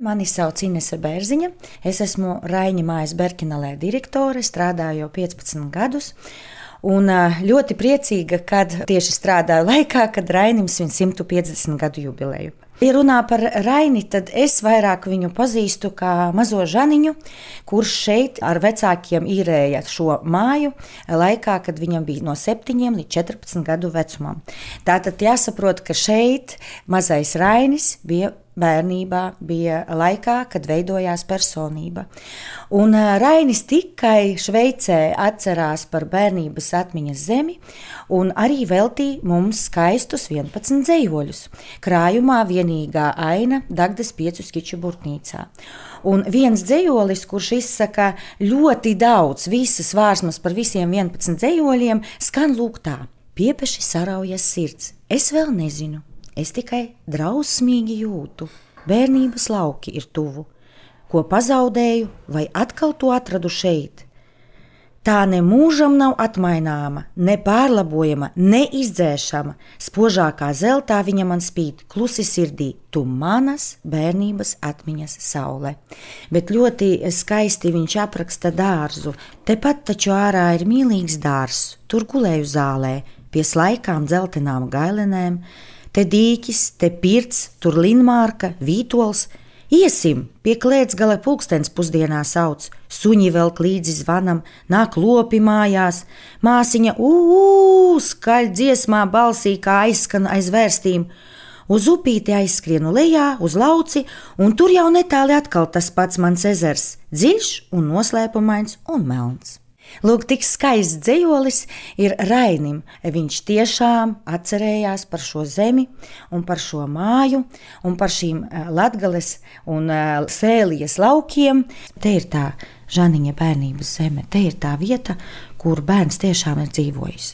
Mani sauc Inese Bērziņa. Es esmu Raiņa mājas Berkinalē direktore, strādāju jau 15 gadus. Un ļoti priecīga, kad tieši strādāju laikā, kad Rainim svin 150 gadu jubileju. Ja runā par Raini, tad es vairāk viņu pazīstu kā mazo Žaniņu, kurš šeit ar vecākiem īrēja šo māju laikā, kad viņam bija no 7 līdz 14 gadu vecumam. Tātad jāsaprot, ka šeit mazais Rainis bija bērnībā, bija laikā, kad veidojās personība. Un Rainis tikai Šveicē atcerās par bērnības atmiņas zemi un arī veltīja mums skaistus 11 dzejoļus. Krājumā vienīgā aina Dagdas 5 skiču burtnīcā. Un viens dzejolis, kurš izsaka ļoti daudz, visas vārsmas par visiem 11 dzejoļiem, skan lūk tā: piepeši saraujas sirds, es vēl nezinu. Es tikai drausmīgi jūtu, bērnības lauki ir tuvu, ko pazaudēju vai atkal to atradu šeit. Tā ne mūžam nav atmaināma, ne pārlabojama, ne izdzēšama, spožākā zeltā viņa man spīd, klusi sirdī, tu manas bērnības atmiņas saule. Bet ļoti skaisti viņš apraksta dārzu, tepat taču ārā ir mīlīgs dārzs, tur gulēju zālē, pie slaikām dzeltenām gailenēm, te dīķis, te pirts, tur linmārka, vītols. Iesim, pie klētsgala pulkstens pusdienā sauc, suņi velk līdzi zvanam, nāk lopi mājās, māsiņa skaļ dziesmā balsī, kā aizskan aiz vērstīm. Uz upīti aizskrienu lejā, uz lauci, un tur jau netāli atkal tas pats mans ezers, dziļš un noslēpumains un melns. Lūk, tik skaists dzejolis ir Rainim. Viņš tiešām atcerējās par šo zemi un par šo māju un par šīm Latgales un Sēlijas laukiem. Te ir tā Žaniņa bērnības zeme, te ir tā vieta, kur bērns tiešām ir dzīvojis.